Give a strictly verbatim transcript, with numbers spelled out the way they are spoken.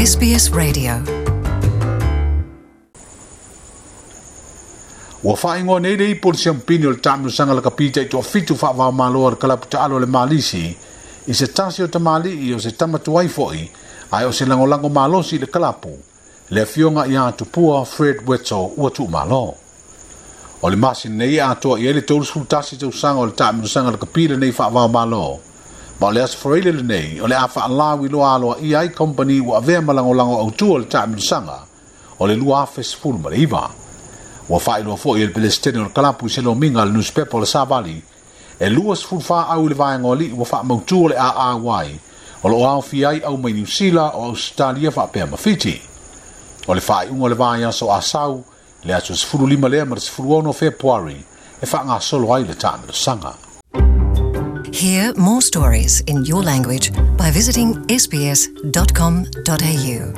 S B S Radio. Ua faaigoa nei le ipu o le siampini o le taamilosaga lakapi taitoafitu faavaomalo a le kalapu taalo a le Malisi i se tasi o tamalii o se tamatuai fo'i ae o se lagolago malosi i le kalapu, le afioga ia Tupua Fred Wetzel ua tuumalo. O le masina nei e atoa i ai le tolusifu tasi tausaga o le taamilosaga lakapi lenei faavaomalo. Ma o le aso Faraile lenei o le a faalauiloa aloaia ai kompani ua avea ma lagolago autu o le taamilosaga o le lua afe sefulu ma le iva. Ua faailoa foi e le Pelesitene o le kalapu i se lomiga a le newspaper o le Savali, e luasefulu fa au i le vaega o alii ua faamautu o le A A Y o loo aofia ai au mai Niusila o Ausetalia faapea ma Fiti. O le faaiuga o le vaiaso Asau, le aso sefulu lima lea ma le sefulu ono Fepuari e faagasolo ai le taamilosaga. Hear more stories in your language by visiting S B S dot com dot A U.